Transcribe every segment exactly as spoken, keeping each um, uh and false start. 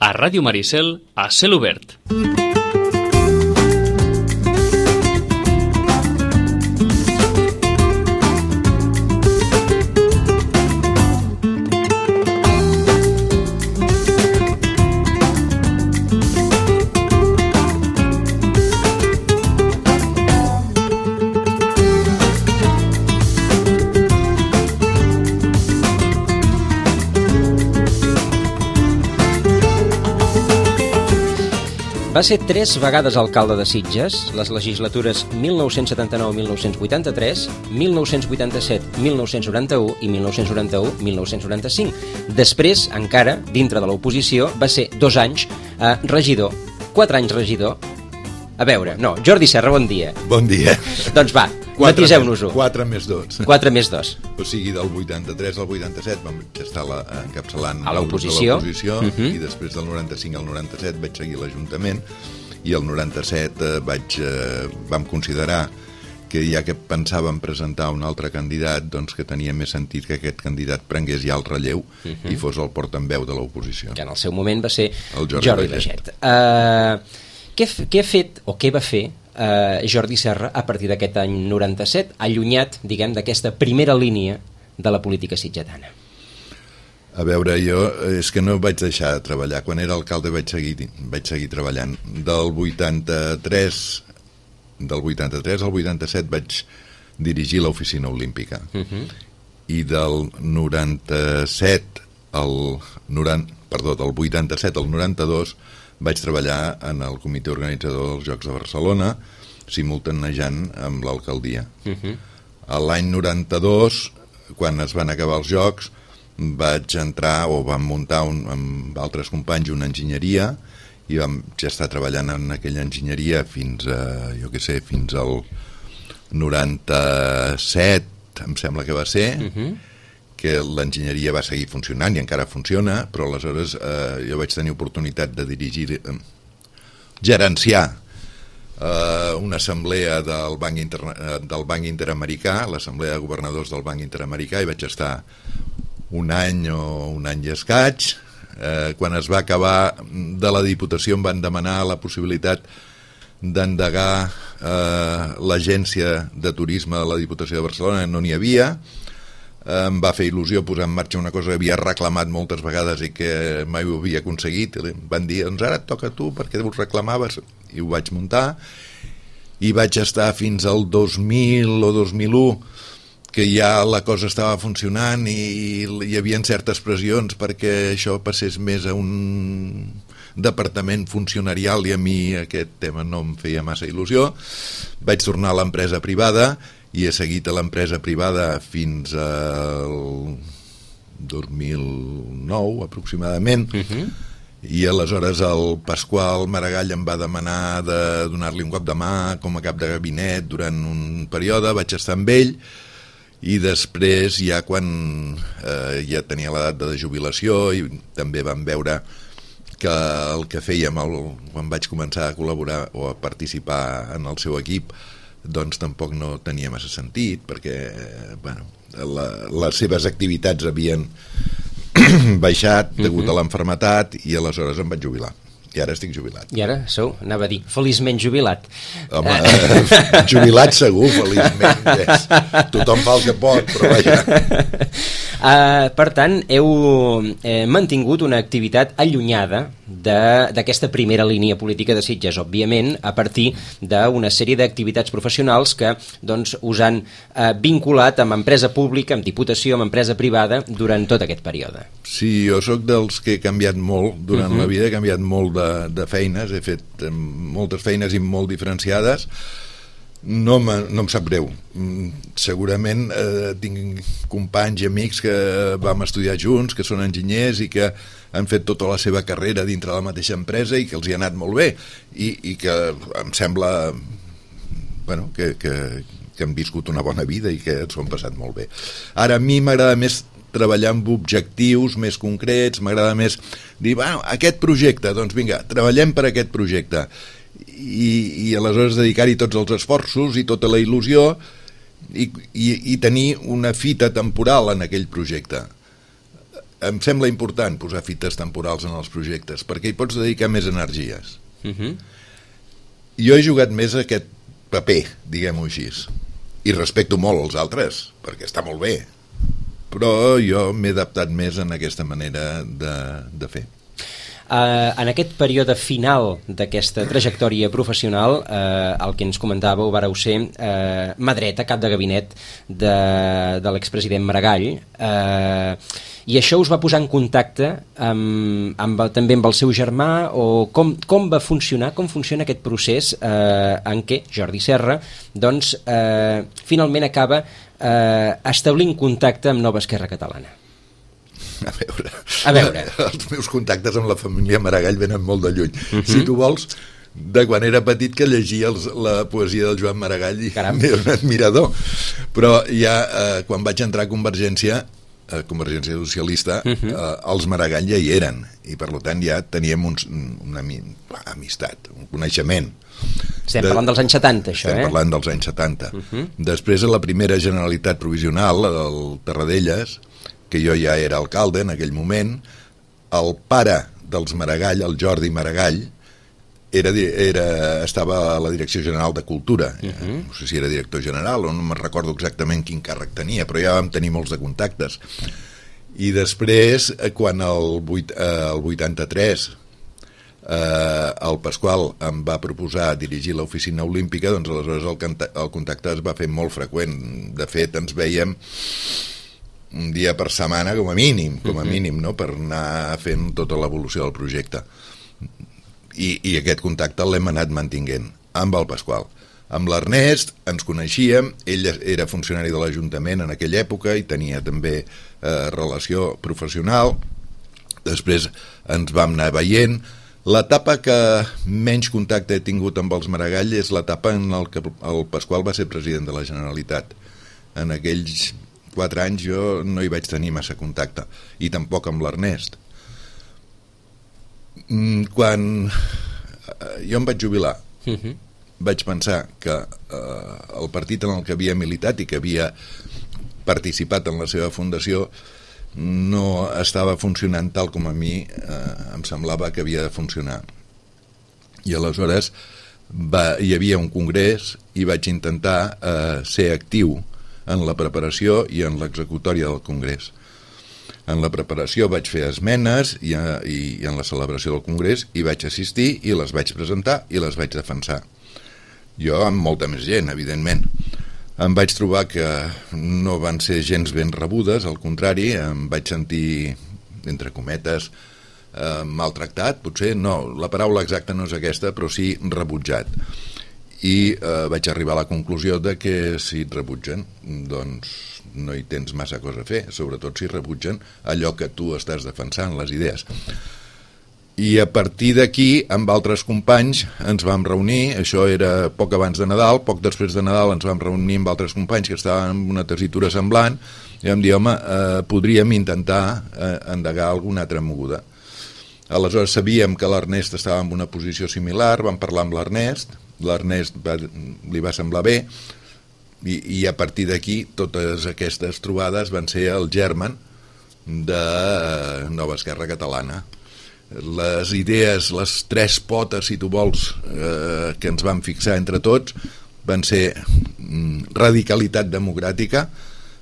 a Ràdio Maricel, a Cel Obert. Va ser tres vegades alcalde de Sitges, les legislatures mil nou-cents setanta-nou a mil nou-cents vuitanta-tres, mil nou-cents vuitanta-set a mil nou-cents noranta-u i mil nou-cents noranta-u a mil nou-cents noranta-cinc. Després, encara, dintre de l'oposició, va ser dos anys eh, regidor, quatre anys regidor. A veure, no, Jordi Serra, bon dia. Bon dia. Doncs va, matiseu-nos-ho. quatre més dos. quatre més dos. O sigui, del vuitanta-tres al vuitanta-set vam estar la, encapçalant a l'oposició, uh -huh. I després del noranta-cinc al noranta-set vaig seguir l'Ajuntament i el noranta-set eh, vaig, eh, vam considerar que ja que pensàvem presentar un altre candidat, doncs que tenia més sentit que aquest candidat prengués ja el relleu uh -huh. i fos el portaveu de l'oposició. Que en el seu moment va ser el Jordi, Jordi Baiget. Uh, què, què ha fet, o què va fer Uh, Jordi Serra a partir d'aquest any noranta-set, allunyat, diguem, d'aquesta primera línia de la política sitgetana? A veure, jo és que no vaig deixar de treballar. Quan era alcalde vaig seguir, vaig seguir treballant. Del vuitanta-tres del vuitanta-tres al vuitanta-set vaig dirigir l'oficina olímpica. Uh-huh. I del noranta-set al noranta, perdó, del vuitanta-set al noranta-dos vaig treballar en el comitè organitzador dels Jocs de Barcelona, simultanejant amb l'alcaldia. Uh-huh. A l'any noranta-dos, quan es van acabar els Jocs, vaig entrar, o vam muntar un, amb altres companys una enginyeria, i vam ja estar treballant en aquella enginyeria fins a, jo què sé, fins al noranta-set, em sembla que va ser, uh-huh. que l'enginyeria va seguir funcionant i encara funciona, però aleshores eh, jo vaig tenir oportunitat de dirigir, eh, gerenciar eh, una assemblea del Banc, Inter del Banc Interamericà, l'assemblea de governadors del Banc Interamericà, i vaig estar un any o un any i escaig. Eh, quan es va acabar de la Diputació em van demanar la possibilitat d'endegar eh, l'agència de turisme de la Diputació de Barcelona, no n'hi havia. Em va fer il·lusió posar en marxa una cosa que havia reclamat moltes vegades i que mai ho havia aconseguit. Van dir, doncs ara et toca a tu perquè ho reclamaves, i ho vaig muntar, i vaig estar fins al dos mil o dos mil u, que ja la cosa estava funcionant i hi havia certes pressions perquè això passés més a un departament funcionarial, i a mi aquest tema no em feia massa il·lusió. Vaig tornar a l'empresa privada i he seguit a l'empresa privada fins al dos mil nou aproximadament. Uh-huh. I aleshores el Pasqual Maragall em va demanar de donar-li un cop de mà com a cap de gabinet durant un període. Vaig estar amb ell, i després ja quan eh, ja tenia l'edat de jubilació, i també vam veure que el que fèiem el, quan vaig començar a col·laborar o a participar en el seu equip, doncs tampoc no tenia massa sentit, perquè bueno, la, les seves activitats havien baixat degut uh-huh. a l'enfermetat, i aleshores em vaig jubilar. I ara estic jubilat. I ara sou, anava a dir, feliçment jubilat. Home, eh, jubilat segur, feliçment. Yes. Tothom fa el que pot, però vaja. Uh, per tant, heu eh, mantingut una activitat allunyada d'aquesta primera línia política de Sitges, òbviament, a partir d'una sèrie d'activitats professionals que doncs, us han eh, vinculat amb empresa pública, amb diputació, amb empresa privada, durant tot aquest període. Sí, jo sóc dels que he canviat molt durant uh-huh. la vida, he canviat molt de, de feines, he fet moltes feines i molt diferenciades. No, no em sap greu. Segurament eh, tinc companys i amics que vam estudiar junts, que són enginyers i que han fet tota la seva carrera dintre de la mateixa empresa i que els hi ha anat molt bé, i, i que em sembla bueno, que, que, que han viscut una bona vida i que s'ho han passat molt bé. Ara a mi m'agrada més treballar amb objectius més concrets, m'agrada més dir, bueno, aquest projecte, doncs vinga, treballem per aquest projecte, i, i aleshores dedicar-hi tots els esforços i tota la il·lusió i, i, i tenir una fita temporal en aquell projecte. em sembla important posar fites temporals en els projectes, perquè hi pots dedicar més energies. Uh-huh. Jo he jugat més a aquest paper, diguem-ho així, i respecto molt els altres, perquè està molt bé, però jo m'he adaptat més en aquesta manera de, de fer. Uh, en aquest període final d'aquesta trajectòria professional, uh, el que ens comentàveu vareu ser uh, mà dreta, cap de gabinet de, de l'expresident Maragall, uh, i això us va posar en contacte amb, amb, també amb el seu germà, o com, com va funcionar, com funciona aquest procés uh, en què Jordi Serra doncs, uh, finalment acaba uh, establint contacte amb Nova Esquerra Catalana? A veure, a veure, els meus contactes amb la família Maragall venen molt de lluny. Uh-huh. Si tu vols, de quan era petit que llegia els, la poesia del Joan Maragall i era un admirador. Però ja eh, quan vaig entrar a Convergència, a Convergència Socialista, uh-huh. eh, els Maragall ja hi eren, i per tant ja teníem uns, una amistat, un coneixement. Estem de, parlant dels anys setanta, això, estem eh? Estem parlant dels anys setanta. Uh-huh. Després, a la primera Generalitat Provisional, la del Tarradellas, que jo ja era alcalde en aquell moment, el pare dels Maragall, el Jordi Maragall, era, era, estava a la Direcció General de Cultura. Uh-huh. No sé si era director general o no me'n recordo exactament quin càrrec tenia, però ja vam tenir molts de contactes. I després, quan el, vuit, eh, el vuitanta-tres eh, el Pasqual em va proposar dirigir l'oficina olímpica, doncs aleshores el, el contacte es va fer molt freqüent. De fet, ens veiem un dia per setmana com a mínim, com a mínim, no? Per anar fent tota l'evolució del projecte. I, i aquest contacte l'hem anat mantinguent amb el Pasqual. Amb l'Ernest ens coneixíem, ell era funcionari de l'Ajuntament en aquella època i tenia també eh, relació professional. Després ens vam anar veient. L'etapa que menys contacte he tingut amb els Maragall és l'etapa en la que el Pasqual va ser president de la Generalitat. En aquells quatre anys jo no hi vaig tenir massa contacte, i tampoc amb l'Ernest. Quan jo em vaig jubilar, uh-huh. vaig pensar que eh, el partit en el que havia militat i que havia participat en la seva fundació no estava funcionant tal com a mi eh, em semblava que havia de funcionar. I aleshores va, hi havia un congrés i vaig intentar eh, ser actiu en la preparació i en l'executòria del congrés. En la preparació vaig fer esmenes i, i, i en la celebració del congrés hi vaig assistir i les vaig presentar i les vaig defensar. Jo amb molta més gent, evidentment. Em vaig trobar que no van ser gens ben rebudes, al contrari, em vaig sentir, entre cometes, eh, maltractat, potser, no, la paraula exacta no és aquesta, però sí rebutjat. I eh, vaig arribar a la conclusió de que si et rebutgen, doncs no hi tens massa cosa a fer, sobretot si rebutgen allò que tu estàs defensant, les idees. I a partir d'aquí, amb altres companys, ens vam reunir, això era poc abans de Nadal, poc després de Nadal ens vam reunir amb altres companys que estaven en una tessitura semblant, i vam dir, home, eh, podríem intentar eh, endegar alguna altra moguda. Aleshores sabíem que l'Ernest estava en una posició similar, vam parlar amb l'Ernest, l'Ernest va, li va semblar bé, i, i a partir d'aquí totes aquestes trobades van ser el germen de Nova Esquerra Catalana. Les idees, les tres potes, si tu vols, eh, que ens vam fixar entre tots van ser mm, radicalitat democràtica.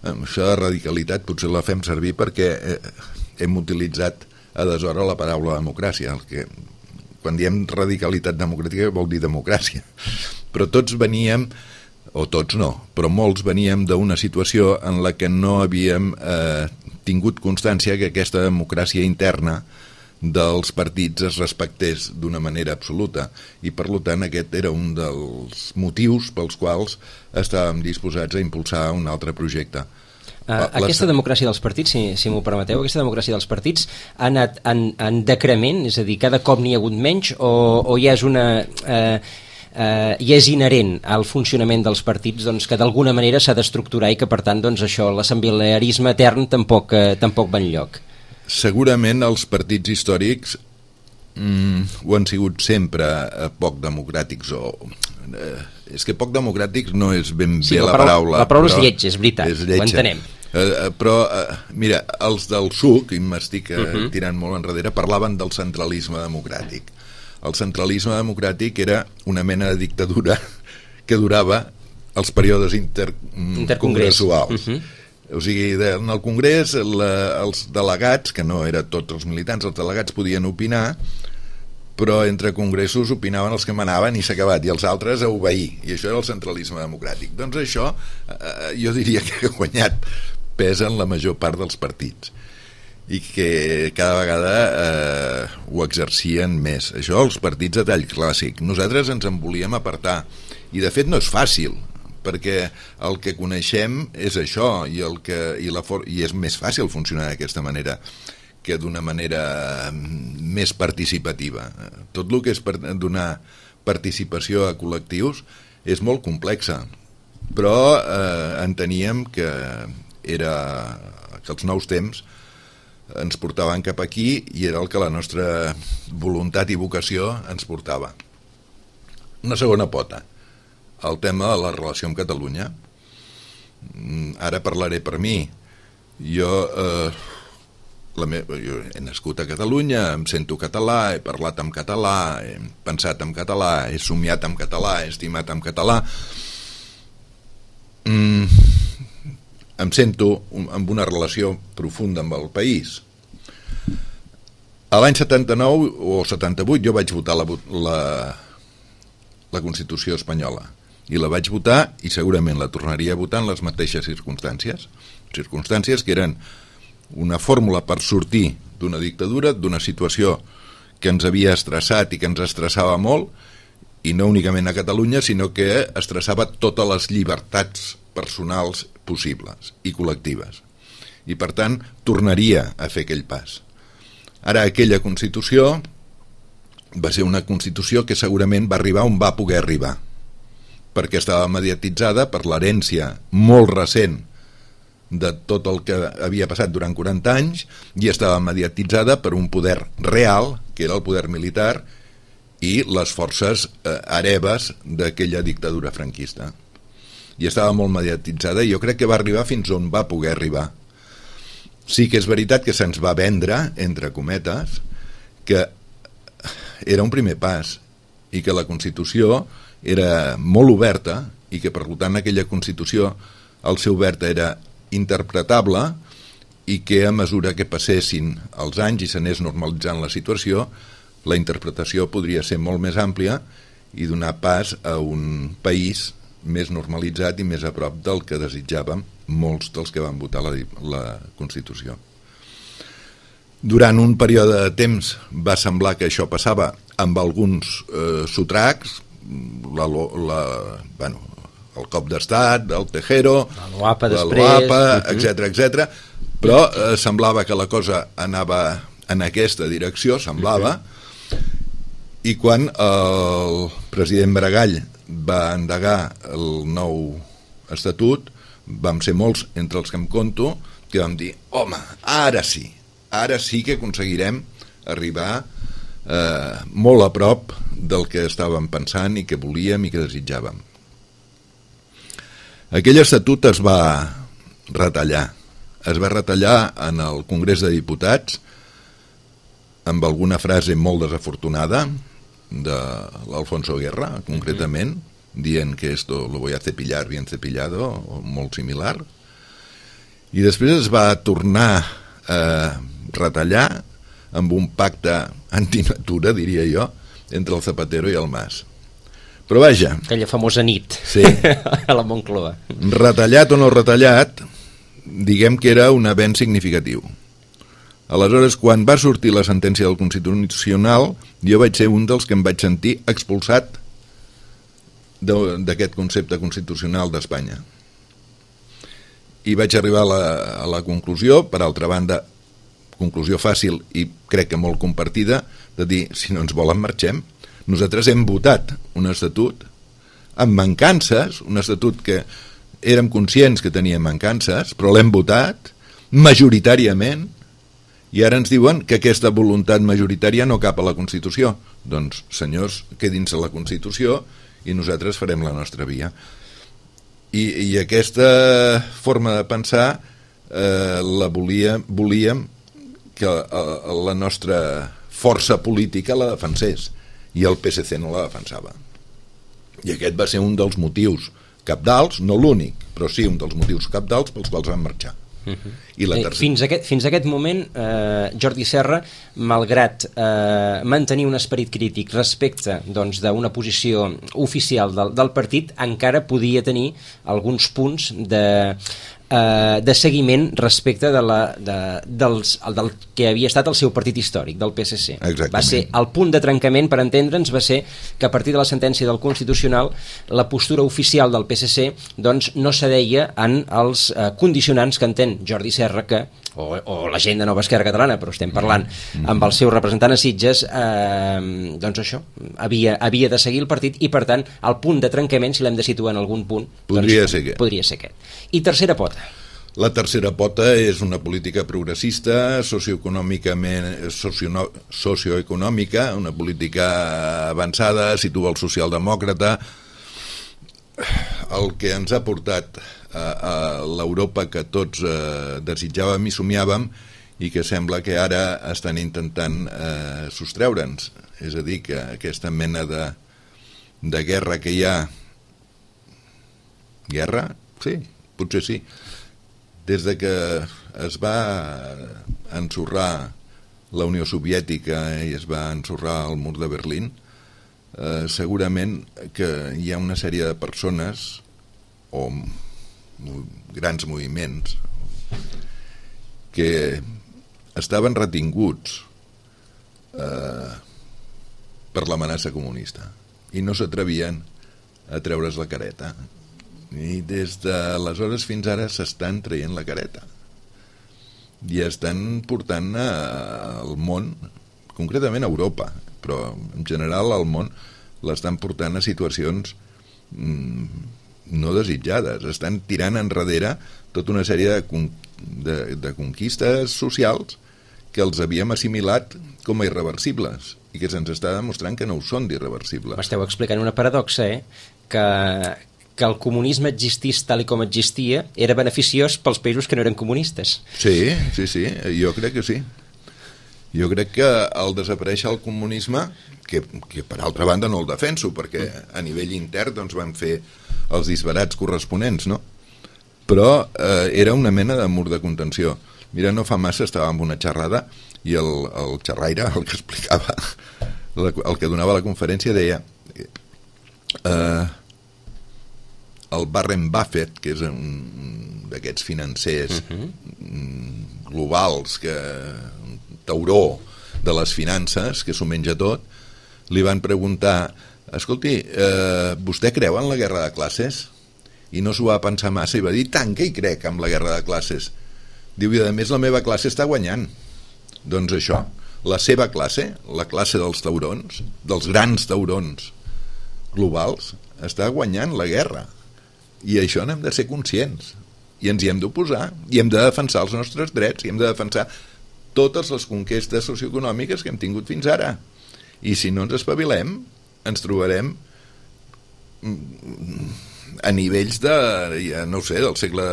Això de radicalitat potser la fem servir perquè eh, hem utilitzat a deshora la paraula democràcia, el que quan diem radicalitat democràtica vol dir democràcia, però tots veníem, o tots no, però molts veníem d'una situació en la que no havíem eh, tingut constància que aquesta democràcia interna dels partits es respectés d'una manera absoluta, i per tant aquest era un dels motius pels quals estàvem disposats a impulsar un altre projecte. Uh, aquesta democràcia dels partits, si, si m'ho permeteu, aquesta democràcia dels partits ha anat en, en decrement, és a dir, cada cop n'hi ha hagut menys, o, o ja és una... Eh, eh, ja és inherent al funcionament dels partits, doncs, que d'alguna manera s'ha d'estructurar i que per tant doncs, això, l'assemblearisme etern tampoc, eh, tampoc va enlloc. Segurament els partits històrics mm, ho han sigut sempre eh, poc democràtics, o eh, és que poc democràtics no és ben sí, bé la, la paraula, paraula. La paraula és lleig, és veritat, és lletja. ho entenem. Eh, però, eh, mira, els del S U C, i m'estic eh, uh-huh. tirant molt enrere, parlaven del centralisme democràtic. El centralisme democràtic era una mena de dictadura que durava els períodes intercongressuals. Uh-huh. O sigui, en el Congrés la, els delegats, que no eren tots els militants, els delegats podien opinar, però entre congressos opinaven els que manaven i s'ha acabat, i els altres a obeir, i això era el centralisme democràtic. Doncs això eh, jo diria que ha guanyat pes en la major part dels partits i que cada vegada eh, ho exercien més. Això els partits de tall clàssic. Nosaltres ens en volíem apartar, i de fet no és fàcil, perquè el que coneixem és això, i, el que, i, la for i és més fàcil funcionar d'aquesta manera que d'una manera més participativa. Tot el que és per donar participació a col·lectius és molt complexa, però eh, enteníem que, era, que els nous temps ens portaven cap aquí i era el que la nostra voluntat i vocació ens portava. Una segona pota, el tema de la relació amb Catalunya. Ara parlaré per mi. Jo... Eh, La meva, jo he nascut a Catalunya, em sento català, he parlat en català, he pensat en català, he somiat en català, he estimat en català. Mm, em sento amb una relació profunda amb el país. A l'any setanta-nou o setanta-vuit jo vaig votar la, la, la Constitució espanyola, i la vaig votar i segurament la tornaria a votar en les mateixes circumstàncies, circumstàncies que eren una fórmula per sortir d'una dictadura, d'una situació que ens havia estressat i que ens estressava molt, i no únicament a Catalunya, sinó que estressava totes les llibertats personals possibles i col·lectives. I per tant, tornaria a fer aquell pas. Ara, aquella Constitució va ser una Constitució que segurament va arribar on va poder arribar, perquè estava mediatitzada per l'herència molt recent de tot el que havia passat durant quaranta anys, i estava mediatitzada per un poder real, que era el poder militar, i les forces eh, hereves d'aquella dictadura franquista. I estava molt mediatitzada, i jo crec que va arribar fins on va poder arribar. Sí que és veritat que se'ns va vendre, entre cometes, que era un primer pas, i que la Constitució era molt oberta, i que per tant aquella Constitució, el seu obert era interpretable, i que a mesura que passessin els anys i s'anés normalitzant la situació, la interpretació podria ser molt més àmplia i donar pas a un país més normalitzat i més a prop del que desitjàvem molts dels que van votar la, la Constitució. Durant un període de temps va semblar que això passava amb alguns eh, sotracs, la, la, bueno, el cop d'estat, el Tejero, la Loapa després, la Loapa, etcètera, etcètera, però eh, semblava que la cosa anava en aquesta direcció, semblava, i quan el president Maragall va endegar el nou estatut, vam ser molts, entre els que em conto, que vam dir, home, ara sí, ara sí que aconseguirem arribar eh, molt a prop del que estàvem pensant i que volíem i que desitjàvem. Aquell estatut es va retallar. Es va retallar en el Congrés de Diputats amb alguna frase molt desafortunada de l'Alfonso Guerra, concretament, dient que esto lo voy a cepillar bien cepillado, o molt similar. I després es va tornar a retallar amb un pacte antinatura, diria jo, entre el Zapatero i el Mas. Però vaja... Aquella famosa nit, sí, a la Moncloa. Retallat o no retallat, diguem que era un avenç significatiu. Aleshores, quan va sortir la sentència del Constitucional, jo vaig ser un dels que em vaig sentir expulsat d'aquest concepte constitucional d'Espanya. I vaig arribar a la, a la conclusió, per altra banda, conclusió fàcil i crec que molt compartida, de dir, si no ens volen marxem. Nosaltres hem votat un estatut amb mancances, un estatut que érem conscients que tenia mancances, però l'hem votat majoritàriament, i ara ens diuen que aquesta voluntat majoritària no cap a la Constitució. Doncs, senyors, quedin-se a la Constitució i nosaltres farem la nostra via. I, i aquesta forma de pensar eh, la volia, volíem que eh, la nostra força política la defensés, i el P S C no la defensava. I aquest va ser un dels motius cabdals, no l'únic, però sí un dels motius cabdals pels quals van marxar. Uh-huh. I la eh, fins, a aquest, fins a aquest moment eh, Jordi Serra, malgrat eh, mantenir un esperit crític respecte doncs, d'una posició oficial del, del partit, encara podia tenir alguns punts de, eh, de seguiment respecte de la, de, dels, del que havia estat el seu partit històric, del P S C. Exactament. Va ser el punt de trencament, per entendre'ns, va ser que a partir de la sentència del Constitucional la postura oficial del P S C doncs, no cedeia en els eh, condicionants que entén Jordi Serra, que, o, o la gent de Nova Esquerra Catalana, però estem parlant mm-hmm. amb el seu representant a Sitges, eh, doncs això, havia, havia de seguir el partit, i per tant el punt de trencament, si l'hem de situar en algun punt, podria, doncs, ser, aquest. podria ser aquest. I tercera pota. La tercera pota és una política progressista, socioeconòmicament, socio, socioeconòmica, una política avançada, situa el socialdemòcrata, el que ens ha portat a, a l'Europa que tots eh, desitjàvem i somiàvem, i que sembla que ara estan intentant eh, sostreure'ns. És a dir, que aquesta mena de, de guerra que hi ha... Guerra? Sí, potser sí. Des de que es va ensorrar la Unió Soviètica i es va ensorrar el mur de Berlín, eh, segurament que hi ha una sèrie de persones o grans moviments que estaven retinguts eh, per l'amenaça comunista i no s'atrevien a treure's la careta. I des d'aleshores fins ara s'estan traient la careta i estan portant al món, concretament a Europa, però en general al món, l'estan portant a situacions mm, no desitjades. Estan tirant enrere tota una sèrie de, con de, de conquistes socials que els havíem assimilat com a irreversibles i que se'ns està demostrant que no ho són d'irreversibles. M'esteu explicant una paradoxa, eh? que que el comunisme existís tal i com existia era beneficiós pels països que no eren comunistes. Sí, sí, sí, jo crec que sí. Jo crec que al desaparèixer el comunisme, que, que per altra banda no el defenso, perquè a nivell intern doncs, van fer els disbarats corresponents, no? Però eh, era una mena de mur de contenció. Mira, no fa massa estava en una xerrada i el, el xerraire, el que explicava, el que donava la conferència, deia... Eh, el Warren Buffett, que és un d'aquests financers uh-huh. globals, que un tauró de les finances, que s'ho menja tot, li van preguntar, escolti, eh, vostè creu en la guerra de classes? I no s'ho va pensar massa i va dir, tant que hi crec en la guerra de classes. Diu, i a més la meva classe està guanyant. Doncs això, la seva classe, la classe dels taurons, dels grans taurons globals, està guanyant la guerra. I això n'hem de ser conscients i ens hi hem d'oposar i hem de defensar els nostres drets i hem de defensar totes les conquestes socioeconòmiques que hem tingut fins ara, i si no ens espavilem ens trobarem a nivells de, ja no ho sé, del segle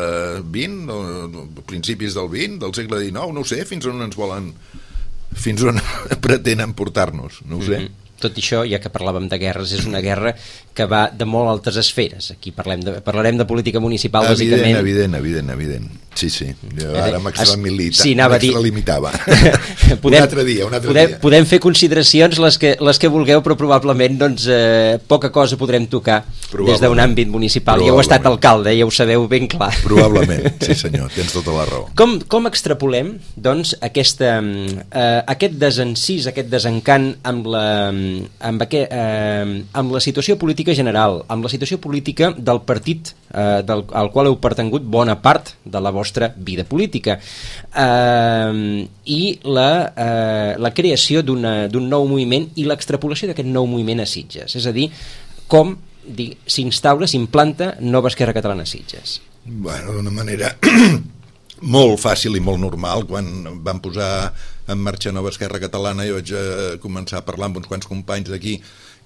vint, de principis del vint, del segle dinou, no ho sé, fins on ens volen, fins on pretenen portar-nos, no ho sé. Mm-hmm. Tot això, ja que parlàvem de guerres, és una guerra que va de molt altes esferes. Aquí parlem de, parlarem de política municipal, evident, bàsicament. Evident, evident, evident. Sí, sí. Jo ara m'extralimitava. Sí, m'extralimitava. podem, un altre dia, un altre podem, dia. Podem fer consideracions les que, les que vulgueu, però probablement doncs, eh, poca cosa podrem tocar des d'un àmbit municipal. Ja heu estat alcalde, ja ho sabeu ben clar. Probablement, sí senyor, tens tota la raó. Com, com extrapolem doncs, aquesta, eh, aquest desencís, aquest desencant amb la... Amb, aquest, eh, amb la situació política general, amb la situació política del partit eh, del, al qual heu pertangut bona part de la vostra vida política, eh, i la, eh, la creació d'un nou moviment i l'extrapolació d'aquest nou moviment a Sitges, és a dir, com s'instaura, s'implanta Nova Esquerra Catalana a Sitges. Bueno, d'una manera molt fàcil i molt normal. Quan van posar en marxa Nova Esquerra Catalana jo vaig eh, començar a parlar amb uns quants companys d'aquí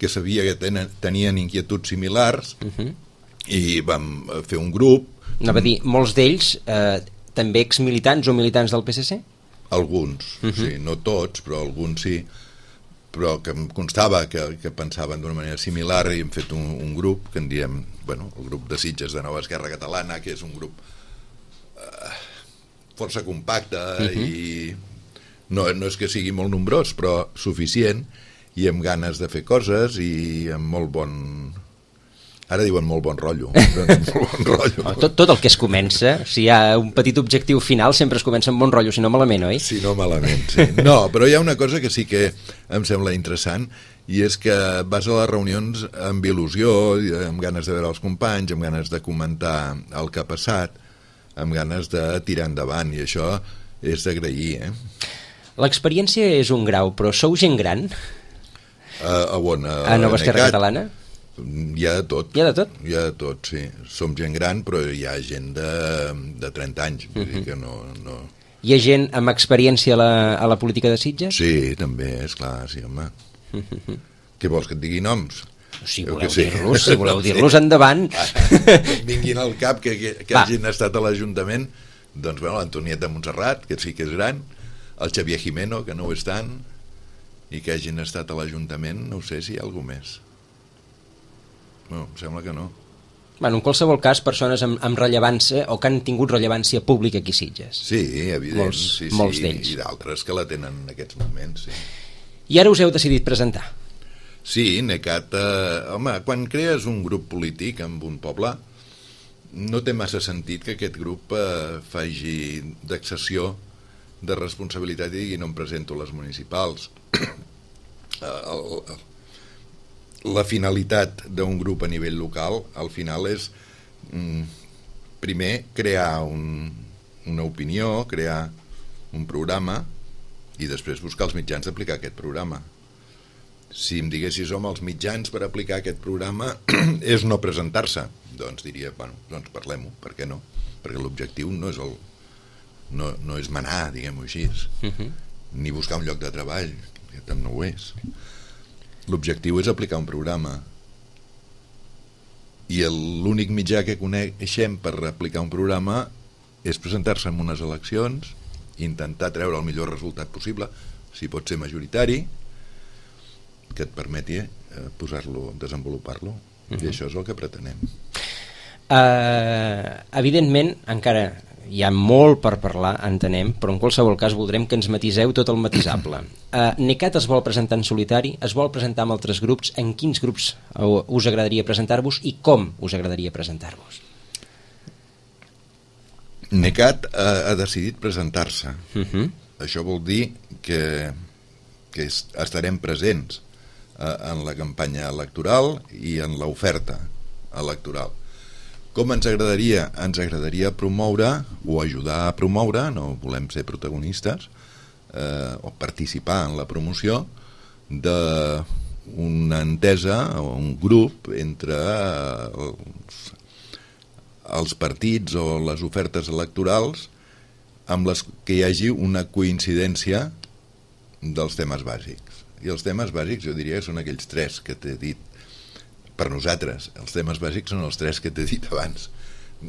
que sabia que tenen, tenien inquietuds similars uh-huh. i vam fer un grup. Anava a dir, molts d'ells eh, també exmilitants o militants del P S C? Alguns, uh -huh. sí, no tots, però alguns sí, però que em constava que, que pensaven d'una manera similar i hem fet un, un grup que en diem, bueno, el grup de Sitges de Nova Esquerra Catalana, que és un grup eh, força compacte uh -huh. i no, no és que sigui molt nombrós, però suficient, i amb ganes de fer coses i amb molt bon... Ara diuen molt bon rotllo. Doncs molt bon rotllo. Tot, tot el que es comença, si hi ha un petit objectiu final, sempre es comença amb bon rotllo, si no malament, oi? Si no malament, sí. No, però hi ha una cosa que sí que em sembla interessant, i és que vas a les reunions amb il·lusió, amb ganes de veure els companys, amb ganes de comentar el que ha passat, amb ganes de tirar endavant, i això és d'agrair, eh? L'experiència és un grau, però sou gent gran? A, a on? A, a Nova Esquerra Catalana? Hi ha de tot. Hi ha de tot? Hi ha de tot, sí. Som gent gran, però hi ha gent de, de trenta anys. Vull uh -huh. dir que no, no... Hi ha gent amb experiència a la, a la política de Sitges? Sí, també, és clar, sí, home. Uh -huh. Què vols, que et digui noms? Si voleu dir-los, si voleu dir-los, endavant. Que vinguin al cap que, que, que hagin estat a l'Ajuntament, doncs, bueno, l'Antonieta de Montserrat, que sí que és gran, el Xavier Jimeno, que no ho és tant, i que hagin estat a l'Ajuntament, no ho sé si hi ha algú més. No, em sembla que no. Bueno, en qualsevol cas, persones amb, amb rellevància o que han tingut rellevància pública aquí a Sitges. Sí, evident, molts, sí, molts sí, d'ells. I d'altres que la tenen en aquests moments, sí. I ara us heu decidit presentar? Sí, NECAT, eh, home, quan crees un grup polític en un poble, no té massa sentit que aquest grup eh, faci d'accessió de responsabilitat i digui no em presento a les municipals. el, el, la finalitat d'un grup a nivell local al final és mm, primer crear un, una opinió, crear un programa i després buscar els mitjans d'aplicar aquest programa. Si em diguessis, home, els mitjans per aplicar aquest programa és no presentar-se, doncs diria, bueno, doncs parlem-ho, per què no? Perquè l'objectiu no és el no, no és manar, diguem-ho així, uh-huh. ni buscar un lloc de treball, que també no ho és. L'objectiu és aplicar un programa. I l'únic mitjà que coneixem per aplicar un programa és presentar-se en unes eleccions, intentar treure el millor resultat possible, si pot ser majoritari, que et permeti eh, posar-lo, desenvolupar-lo. Uh-huh. I això és el que pretenem. Uh, evidentment, encara hi ha molt per parlar, entenem, però en qualsevol cas voldrem que ens matiseu tot el matisable. Uh, NECAT es vol presentar en solitari, es vol presentar amb altres grups, en quins grups us agradaria presentar-vos i com us agradaria presentar-vos? NECAT ha, ha decidit presentar-se. Uh-huh. Això vol dir que, que estarem presents uh, en la campanya electoral i en l'oferta electoral. Com ens agradaria? Ens agradaria promoure o ajudar a promoure, no volem ser protagonistes, eh, o participar en la promoció d'una entesa o un grup entre els, els partits o les ofertes electorals amb les que hi hagi una coincidència dels temes bàsics. I els temes bàsics jo diria que són aquells tres que t'he dit. Per nosaltres, els temes bàsics són els tres que t'he dit abans.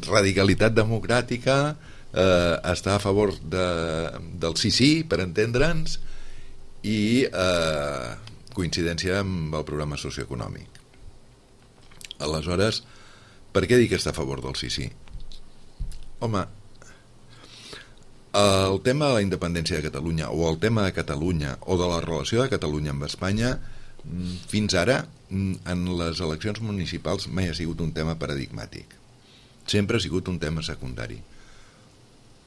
Radicalitat democràtica, eh, estar a favor de, del sí sí, per entendre'ns, i eh, coincidència amb el programa socioeconòmic. Aleshores, per què dic estar a favor del sí sí? Home, el tema de la independència de Catalunya o el tema de Catalunya o de la relació de Catalunya amb Espanya fins ara en les eleccions municipals mai ha sigut un tema paradigmàtic, sempre ha sigut un tema secundari,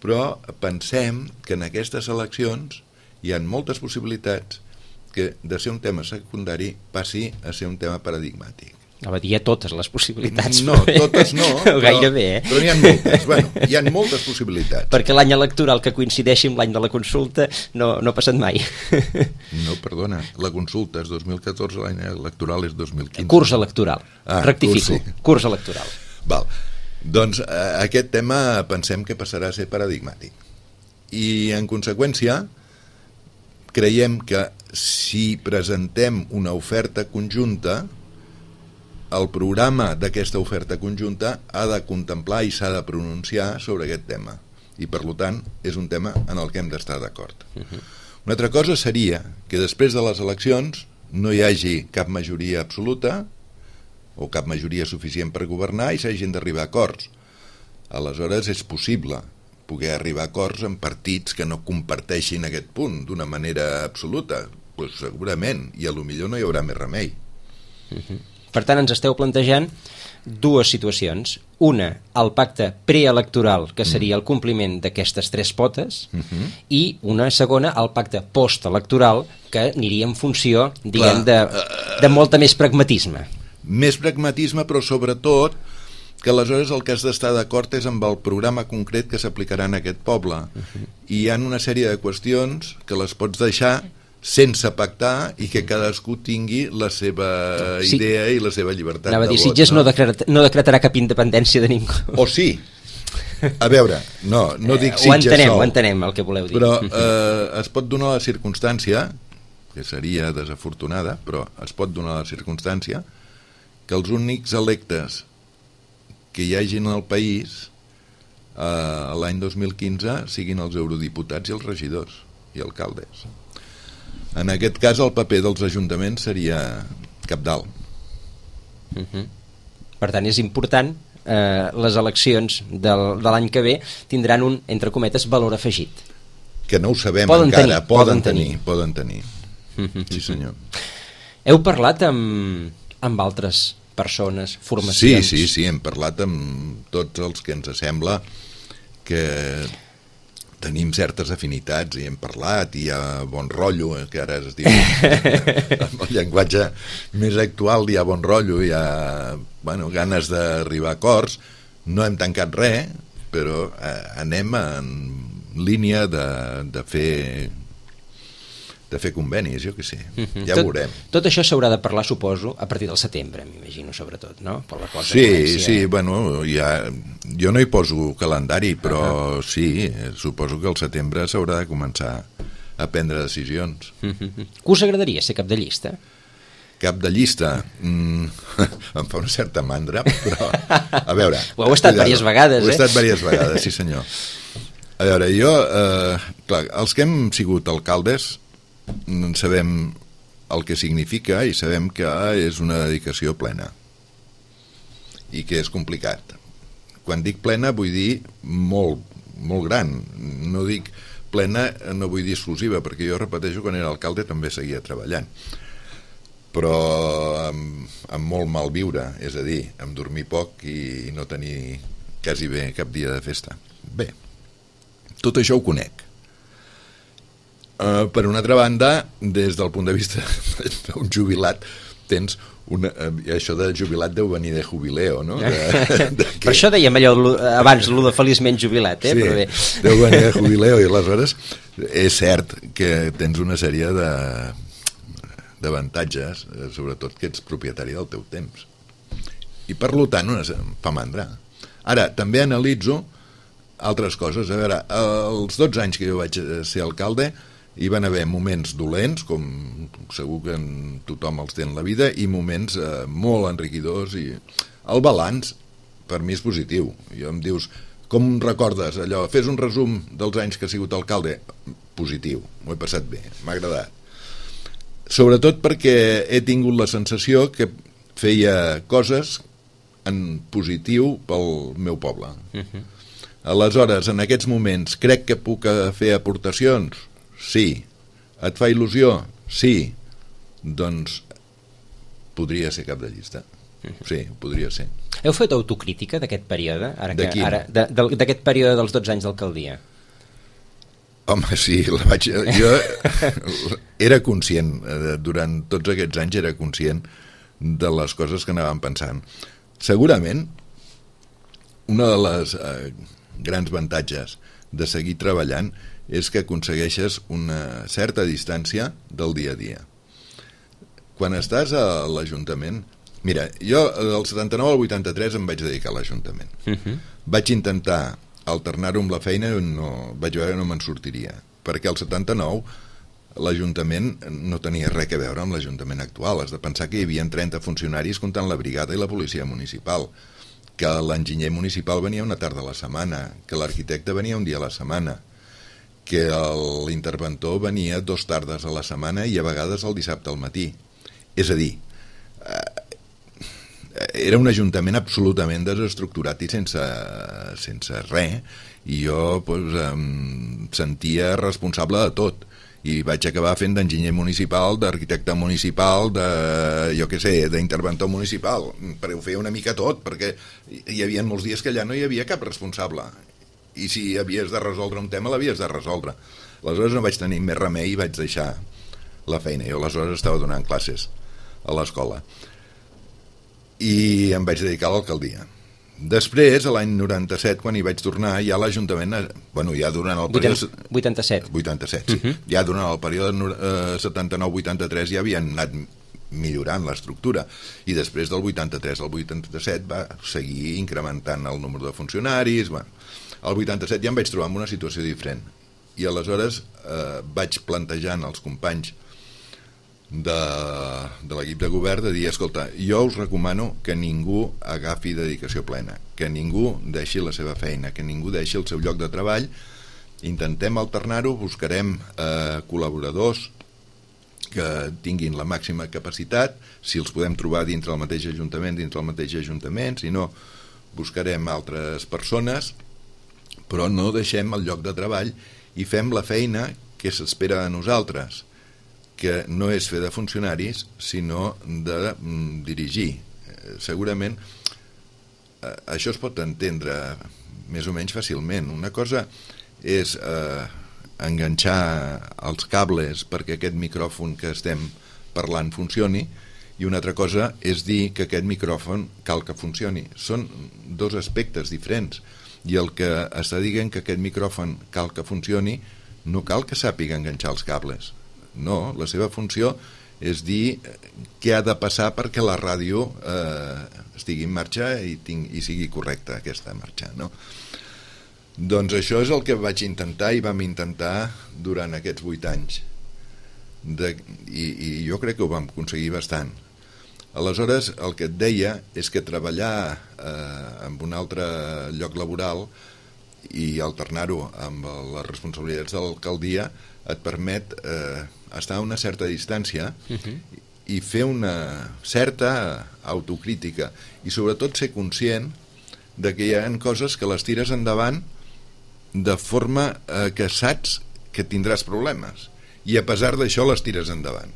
però pensem que en aquestes eleccions hi ha moltes possibilitats que de ser un tema secundari passi a ser un tema paradigmàtic. A dir, hi ha totes les possibilitats. No, totes no, però, gairebé, eh? però n'hi ha moltes. Bueno, hi ha moltes possibilitats. Perquè l'any electoral que coincideixi amb l'any de la consulta no, no ha passat mai. No, perdona, la consulta és dos mil catorze, l'any electoral és dos mil quinze. Curs electoral, ah, rectifico, curs, sí. Curs electoral. Val. Doncs eh, aquest tema pensem que passarà a ser paradigmàtic. I en conseqüència creiem que si presentem una oferta conjunta, el programa d'aquesta oferta conjunta ha de contemplar i s'ha de pronunciar sobre aquest tema. i per tant és un tema en el que hem d'estar d'acord. Uh-huh. Una altra cosa seria que després de les eleccions no hi hagi cap majoria absoluta o cap majoria suficient per governar i s'hagin d'arribar a acords. Aleshores és possible poder arribar a acords amb partits que no comparteixin aquest punt d'una manera absoluta. Pues segurament, i a lo millor no hi haurà més remei. Uh-huh. Per tant, ens esteu plantejant dues situacions. Una, el pacte preelectoral, que seria el compliment d'aquestes tres potes, uh-huh. i una segona, el pacte postelectoral, que aniria en funció, diguem, de, de molta més pragmatisme. Més pragmatisme, però sobretot que aleshores el que has d'estar d'acord és amb el programa concret que s'aplicarà en aquest poble. Uh-huh. I hi ha una sèrie de qüestions que les pots deixar sense pactar i que cadascú tingui la seva sí. idea i la seva llibertat Anava de dir, vot. Sitges no, decretar, no decretarà cap independència de ningú. O sí. A veure, no, no dic eh, ho Sitges entenem, sol. Ho entenem, el que voleu dir. Però eh, es pot donar la circumstància, que seria desafortunada, però es pot donar la circumstància que els únics electes que hi hagin al país eh, l'any dos mil quinze siguin els eurodiputats i els regidors i alcaldes. En aquest cas el paper dels ajuntaments seria cabdal. Uh-huh. Per tant, és important, eh, les eleccions del, de l'any que ve tindran un, entre cometes, valor afegit. Que no ho sabem poden encara, tenir, poden, poden tenir, tenir. poden tenir. Uh-huh. Sí, senyor. Heu parlat amb, amb altres persones, formacions? Sí, sí, sí, hem parlat amb tots els que ens sembla que tenim certes afinitats i hem parlat i hi ha bon rotllo, que ara es diu amb el llenguatge més actual, hi ha bon rotllo, hi ha bueno, ganes d'arribar a acords. No hem tancat res, però eh, anem en línia de, de fer de fer convenis, jo què sé, uh-huh. ja tot, veurem. Tot això s'haurà de parlar, suposo, a partir del setembre, m'imagino, sobretot, no? Per la cosa sí, comenci, sí, eh? bueno, ja, jo no hi poso calendari, però uh-huh. sí, suposo que al setembre s'haurà de començar a prendre decisions. Uh-huh. Que us agradaria ser cap de llista? Cap de llista? Mm, em fa una certa mandra, però a veure... Ho heu estat diverses vegades, eh? Ho he estat diverses vegades, sí senyor. A veure, jo, eh, clar, els que hem sigut alcaldes sabem el que significa i sabem que és una dedicació plena i que és complicat. Quan dic plena vull dir molt, molt gran. No dic plena, no vull dir exclusiva, perquè jo repeteixo, quan era alcalde també seguia treballant, però amb, amb molt mal viure, és a dir, amb dormir poc i no tenir quasi bé cap dia de festa. Bé, tot això ho conec. Uh, per una altra banda, des del punt de vista d'un jubilat, tens una, uh, això de jubilat deu venir de jubileo, no? De, de que... Per això dèiem allò abans, lo de feliçment jubilat, eh? Sí, però bé. Deu venir de jubileo, i aleshores és cert que tens una sèrie de d'avantatges, sobretot que ets propietari del teu temps. I per tant, una, em fa mandra. Ara, també analitzo altres coses. A veure, els dotze anys que jo vaig ser alcalde hi van haver moments dolents, com segur que tothom els té en la vida, i moments eh, molt enriquidors, i el balanç per mi és positiu. I em dius, com recordes allò? Fes un resum dels anys que has sigut alcalde. Positiu, m'ho he passat bé, m'ha agradat. Sobretot perquè he tingut la sensació que feia coses en positiu pel meu poble. Uh-huh. Aleshores, en aquests moments, crec que puc fer aportacions? Sí. Et fa il·lusió? Sí. Doncs podria ser cap de llista. Sí, podria ser. Heu fet autocrítica d'aquest període? Ara de que, ara, de, de, d'aquest període dels dotze anys d'alcaldia? Home, sí, la vaig, jo era conscient, durant tots aquests anys era conscient de les coses que anàvem pensant. Segurament, una de les eh, grans avantatges de seguir treballant és que aconsegueixes una certa distància del dia a dia. Quan estàs a l'Ajuntament... Mira, jo del setanta-nou al vuitanta-tres em vaig dedicar a l'Ajuntament. Uh-huh. Vaig intentar alternar-ho amb la feina i no, vaig veure que no me'n sortiria, perquè al setanta-nou l'Ajuntament no tenia res a veure amb l'Ajuntament actual. Has de pensar que hi havia trenta funcionaris comptant la brigada i la policia municipal. que l'enginyer municipal venia una tarda a la setmana, que l'arquitecte venia un dia a la setmana, que l'interventor venia dos tardes a la setmana i a vegades el dissabte al matí. És a dir, era un ajuntament absolutament desestructurat i sense, sense res, i jo pues, em sentia responsable de tot, i vaig acabar fent d'enginyer municipal, d'arquitecte municipal, de, jo què sé, d'interventor municipal, perquè ho feia una mica tot, perquè hi havia molts dies que allà no hi havia cap responsable, i si havies de resoldre un tema l'havies de resoldre. Aleshores no vaig tenir més remei i vaig deixar la feina. Jo aleshores estava donant classes a l'escola i em vaig dedicar a l'alcaldia. Després, a l'any noranta-set, quan hi vaig tornar, ja l'Ajuntament, bueno, ja durant el període... vuitanta-set. vuitanta-set, sí. Uh-huh. Ja durant el període eh, setanta-nou vuitanta-tres ja havien anat millorant l'estructura, i després del vuitanta-tres al vuitanta-set va seguir incrementant el número de funcionaris. Bueno, al vuitanta-set ja em vaig trobar en una situació diferent, i aleshores eh, vaig plantejant als companys de, de l'equip de govern de dir, escolta, jo us recomano que ningú agafi dedicació plena, que ningú deixi la seva feina, que ningú deixi el seu lloc de treball, intentem alternar-ho, buscarem eh, col·laboradors que tinguin la màxima capacitat, si els podem trobar dintre el mateix ajuntament, dintre el mateix ajuntament, si no, buscarem altres persones, però no deixem el lloc de treball i fem la feina que s'espera de nosaltres, que no és fer de funcionaris, sinó de mm, dirigir. Eh, segurament eh, això es pot entendre més o menys fàcilment. Una cosa és eh, enganxar els cables perquè aquest micròfon que estem parlant funcioni, i una altra cosa és dir que aquest micròfon cal que funcioni. Són dos aspectes diferents, i el que està dient que aquest micròfon cal que funcioni no cal que sàpiga enganxar els cables. No, la seva funció és dir què ha de passar perquè la ràdio eh, estigui en marxa i, ting, i sigui correcta aquesta marxa, no? Doncs això és el que vaig intentar i vam intentar durant aquests vuit anys de, i, i jo crec que ho vam aconseguir bastant. Aleshores el que et deia és que treballar eh, en un altre lloc laboral i alternar-ho amb les responsabilitats de l'alcaldia et permet eh, estar a una certa distància uh-huh. i fer una certa autocrítica i sobretot ser conscient de que hi ha coses que les tires endavant de forma eh, que saps que tindràs problemes i a pesar d'això les tires endavant.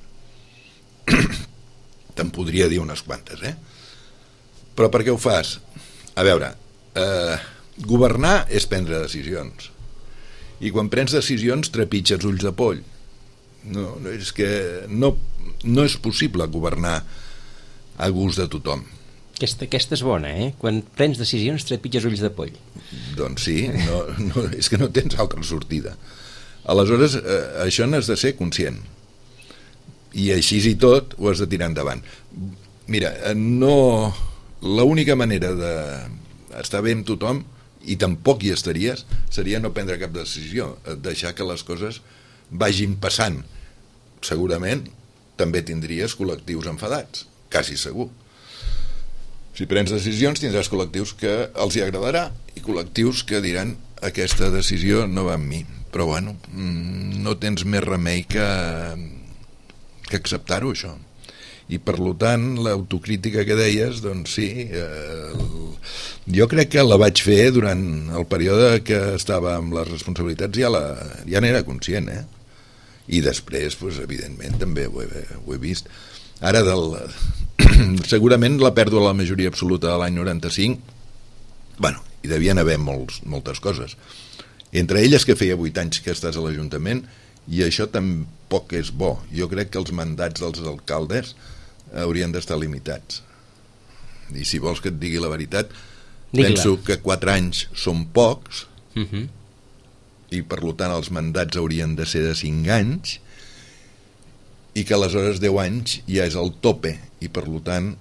Te'n podria dir unes quantes, eh? Però per què ho fas? A veure, eh, governar és prendre decisions, i quan prens decisions trepitges ulls de poll. No, és que no, no és possible governar a gust de tothom. Aquesta, aquesta és bona, eh? Quan prens decisions trepitges ulls de poll. Doncs sí, no, no, és que no tens altra sortida. Aleshores, eh, això n'has de ser conscient. I així i tot ho has de tirar endavant. Mira, no... l'única manera d'estar bé amb tothom, i tampoc hi estaries, seria no prendre cap decisió, deixar que les coses vagin passant. Segurament també tindries col·lectius enfadats, quasi segur. Si prens decisions tindràs col·lectius que els hi agradarà i col·lectius que diran aquesta decisió no va amb mi, però bueno, no tens més remei que, que acceptar-ho, això. I per tant l'autocrítica que deies, doncs sí, eh, jo crec que la vaig fer durant el període que estava amb les responsabilitats, ja, la, ja n'era conscient, eh? I després, doncs, evidentment també ho he, ho he vist. Ara del, segurament la pèrdua de la majoria absoluta de l'any noranta-cinc, bueno, hi devien haver molts, moltes coses, entre elles que feia vuit anys que estàs a l'Ajuntament, i això tampoc és bo. Jo crec que els mandats dels alcaldes haurien d'estar limitats, i si vols que et digui la veritat, Digue-la. Penso que quatre anys són pocs, uh-huh. i per tant els mandats haurien de ser de cinc anys, i que aleshores deu anys ja és el tope, i per tant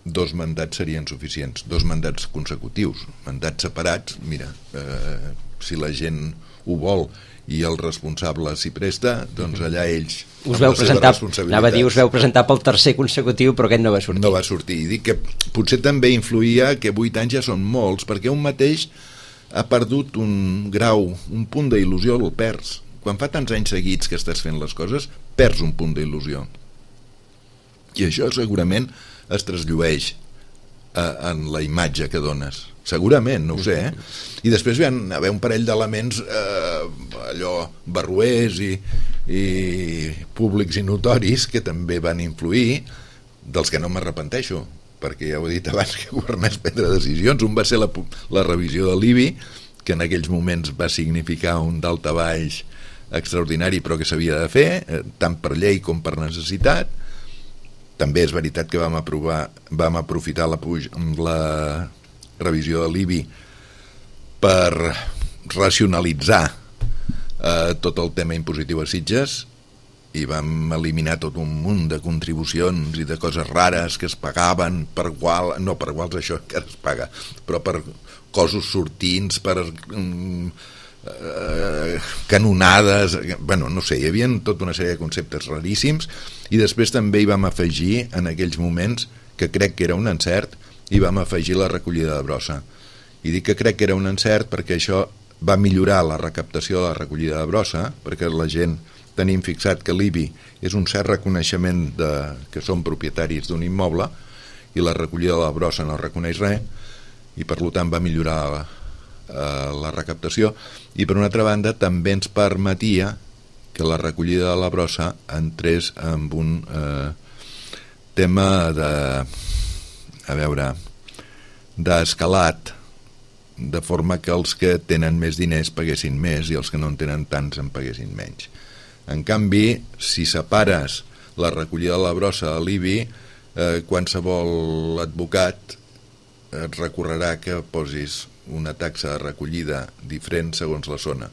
dos mandats serien suficients, dos mandats consecutius. Mandats separats, mira, eh, si la gent ho vol i el responsable s'hi presta, doncs allà ells us veu presentar, anava a dir, us veu presentar pel tercer consecutiu, però aquest no va sortir. No va sortir, i dic que potser també influïa que vuit anys ja són molts, perquè un mateix ha perdut un grau, un punt d'il·lusió, el perds. Quan fa tants anys seguits que estàs fent les coses, perds un punt d'il·lusió. I això segurament es trasllueix a, en la imatge que dones. Segurament, no ho sé, eh? I després hi va haver un parell d'elements eh, allò barroers i, i públics i notoris que també van influir, dels que no m'arrepenteixo, perquè ja ho he dit abans que governés prendre decisions. Un va ser la, la revisió de l'I B I, que en aquells moments va significar un daltabaix extraordinari, però que s'havia de fer, eh, tant per llei com per necessitat. També és veritat que vam aprovar, vam aprofitar la, la revisió de l'I B I per racionalitzar eh, tot el tema impositiu a Sitges, i vam eliminar tot un munt de contribucions i de coses rares que es pagaven per igual, no per iguals això encara es paga, però per cossos sortints, per mm, eh, canonades, bueno, no sé, hi havia tota una sèrie de conceptes raríssims, i després també hi vam afegir en aquells moments, que crec que era un encert, i vam afegir la recollida de brossa. I dic que crec que era un encert perquè això va millorar la recaptació de la recollida de brossa, perquè la gent tenim fixat que l'I B I és un cert reconeixement de, que són propietaris d'un immoble, i la recollida de la brossa no reconeix res, i per tant va millorar la, eh, la recaptació, i per una altra banda també ens permetia que la recollida de la brossa entrés en un eh, tema de, a veure, d'escalat, de forma que els que tenen més diners paguessin més i els que no en tenen tants en paguessin menys. En canvi, si separes la recollida de la brossa a l'I B I, eh, qualsevol advocat et recorrerà que posis una taxa de recollida diferent segons la zona,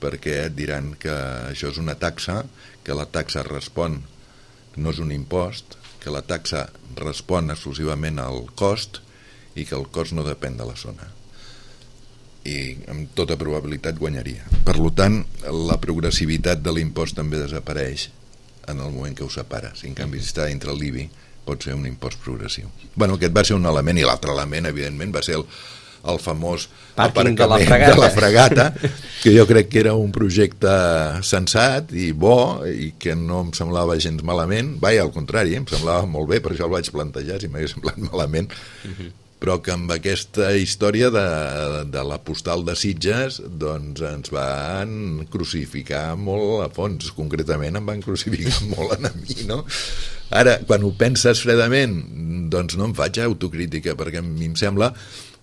perquè et diran que això és una taxa, que la taxa respon, no és un impost, que la taxa respon exclusivament al cost i que el cost no depèn de la zona. I amb tota probabilitat guanyaria. Per tant, la progressivitat de l'impost també desapareix en el moment que ho separes. En canvi, si està entre l'I B I, pot ser un impost progressiu. Bueno, aquest va ser un element, i l'altre element, evidentment, va ser el, el famós Pàrquing aparcament de la, de la Fregata, que jo crec que era un projecte sensat i bo, i que no em semblava gens malament. Vaja, al contrari, em semblava molt bé, per això el vaig plantejar, si m'hagués semblat malament. Uh-huh. Però que amb aquesta història de, de la postal de Sitges doncs ens van crucificar molt a fons, concretament em van crucificar molt a mi, no? Ara, quan ho penses fredament, doncs no em faig autocrítica, perquè a mi em sembla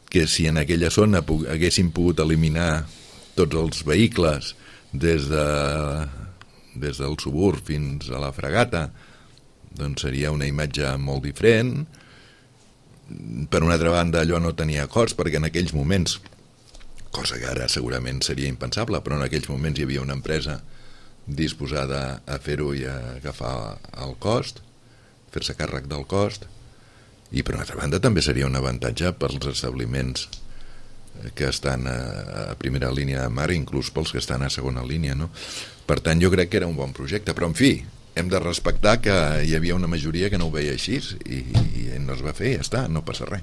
que si en aquella zona haguéssim pogut eliminar tots els vehicles des, de, des del Suburb fins a la Fregata, doncs seria una imatge molt diferent. Per una altra banda, allò no tenia cost, perquè en aquells moments, cosa que ara segurament seria impensable, però en aquells moments hi havia una empresa disposada a fer-ho i a agafar el cost, fer-se càrrec del cost, i per una altra banda també seria un avantatge pels establiments que estan a, a primera línia de mar, inclús pels que estan a segona línia, no? Per tant, jo crec que era un bon projecte, però en fi, hem de respectar que hi havia una majoria que no ho veia així, i, i no es va fer, ja està, no passa res.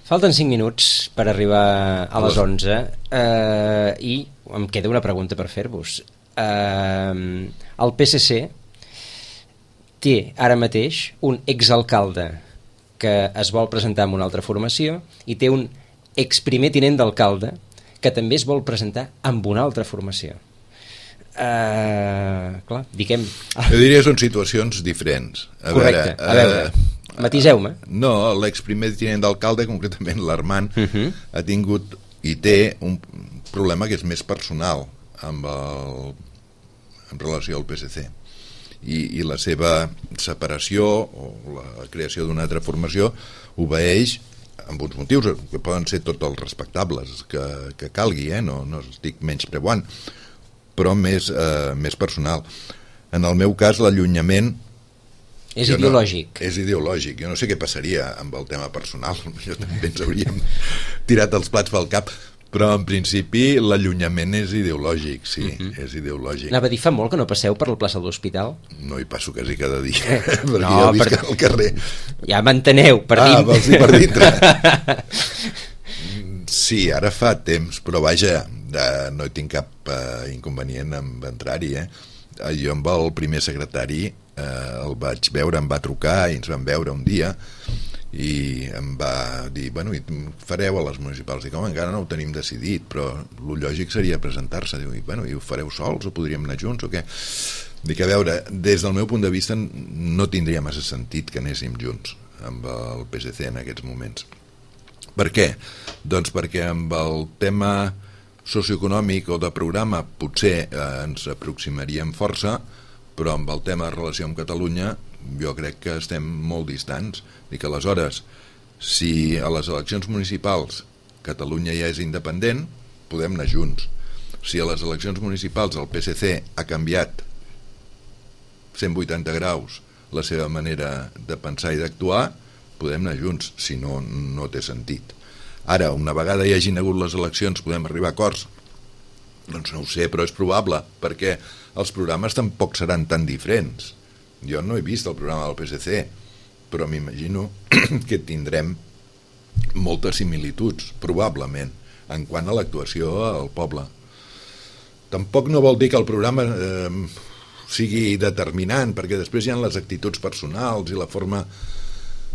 Falten cinc minuts per arribar a les onze, eh, i em queda una pregunta per fer-vos. Eh, el P S C té ara mateix un exalcalde que es vol presentar amb una altra formació i té un exprimer tinent d'alcalde que també es vol presentar amb una altra formació. Uh, clar, diguem... Jo diria que són situacions diferents. A Correcte, veure, a veure, uh, matiseu-me. No, l'exprimer tinent d'alcalde, concretament l'Armand, uh-huh. ha tingut i té un problema que és més personal amb el, en relació al P S C. I, i la seva separació o la creació d'una altra formació obeeix amb uns motius que poden ser tots els respectables que, que calgui, eh? no, no estic menys preuant, però més, eh, més personal. En el meu cas, l'allunyament... És ideològic. No, és ideològic. Jo no sé què passaria amb el tema personal. Jo també ens hauríem tirat els plats pel cap. Però en principi l'allunyament és ideològic, sí, uh-huh. és ideològic. Anava a dir, fa molt que no passeu per la plaça de l'Hospital? No hi passo quasi cada dia, eh, perquè no, ja visc per... al carrer. Ja m'enteneu, per ah, dintre. Ah, vols dir per dintre. Sí, ara fa temps, però vaja, eh, no hi tinc cap eh, inconvenient en entrar-hi, eh? Jo amb el primer secretari eh, el vaig veure, em va trucar i ens vam veure un dia i em va dir, bueno, i fareu a les municipals? Dic, home, encara no ho tenim decidit, però el lògic seria presentar-se. Diu, bueno, i ho fareu sols o podríem anar junts o què? Dic, a veure, des del meu punt de vista no tindria massa sentit que anéssim junts amb el P S C en aquests moments. Per què? Doncs perquè amb el tema socioeconòmic o de programa potser eh, ens aproximaríem força, però amb el tema de relació amb Catalunya jo crec que estem molt distants. Dic, aleshores, si a les eleccions municipals Catalunya ja és independent, podem anar junts. Si a les eleccions municipals el P S C ha canviat cent vuitanta graus la seva manera de pensar i d'actuar, podem anar junts, si no, no té sentit. Ara, una vegada hi hagin hagut les eleccions, podem arribar a acords? Doncs no ho sé, però és probable, perquè els programes tampoc seran tan diferents. Jo no he vist el programa del P S C, però m'imagino que tindrem moltes similituds, probablement, en quant a l'actuació al poble. Tampoc no vol dir que el programa eh, sigui determinant, perquè després hi ha les actituds personals i la forma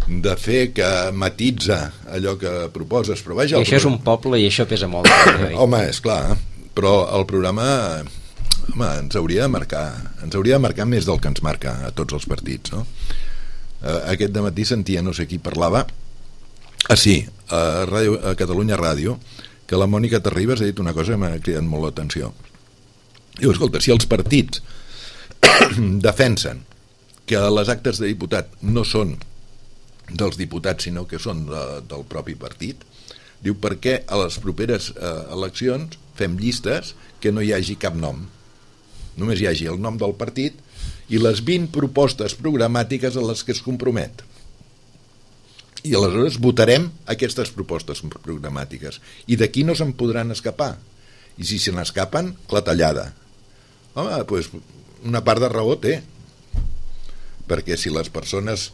de fer que matitza allò que proposes. Però vaja, I això és un poble i això pesa molt. Home, és clar, però el programa home, ens hauria de marcar ens hauria de marcar més del que ens marca a tots els partits, no? Aquest dematí sentia, no sé qui parlava, ah sí, a, Ràdio, a Catalunya Ràdio, que la Mònica Terribas ha dit una cosa que m'ha cridat molt l'atenció. Diu, escolta, si els partits defensen que les actes de diputat no són dels diputats sinó que són de, del propi partit, diu, per què a les properes eh, eleccions fem llistes que no hi hagi cap nom, només hi hagi el nom del partit i les vint propostes programàtiques a les que es compromet, i aleshores votarem aquestes propostes programàtiques i d'aquí no se'n podran escapar, i si se n'escapen, clatellada. Home, doncs una part de raó té, perquè si les persones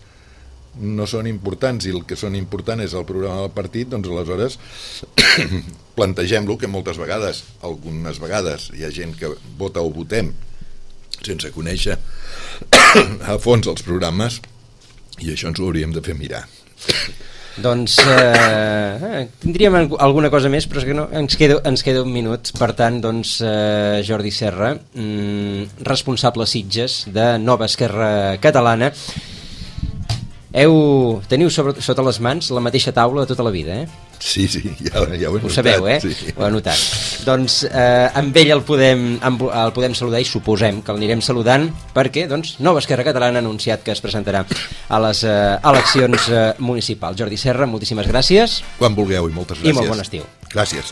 no són importants i el que són important és el programa del partit, doncs aleshores plantegem-lo, que moltes vegades, algunes vegades hi ha gent que vota o votem sense conèixer a fons els programes, i això ens ho hauríem de fer mirar. Doncs eh, tindríem alguna cosa més, però és que no, ens, queda, ens queda un minut. Per tant, doncs, eh, Jordi Serra, mm, responsable Sitges de Nova Esquerra Catalana, heu, teniu sobre, sota les mans la mateixa taula de tota la vida, eh? Sí, sí, ja, ja ho he notat. Ho sabeu, eh? Sí. Ho he notat. Doncs eh, amb ell el podem, el podem saludar i suposem que l'anirem saludant perquè, doncs, Nova Esquerra Catalana ha anunciat que es presentarà a les eh, eleccions eh, municipals. Jordi Serra, moltíssimes gràcies. Quan vulgueu i moltes gràcies. I molt bon estiu. Gràcies.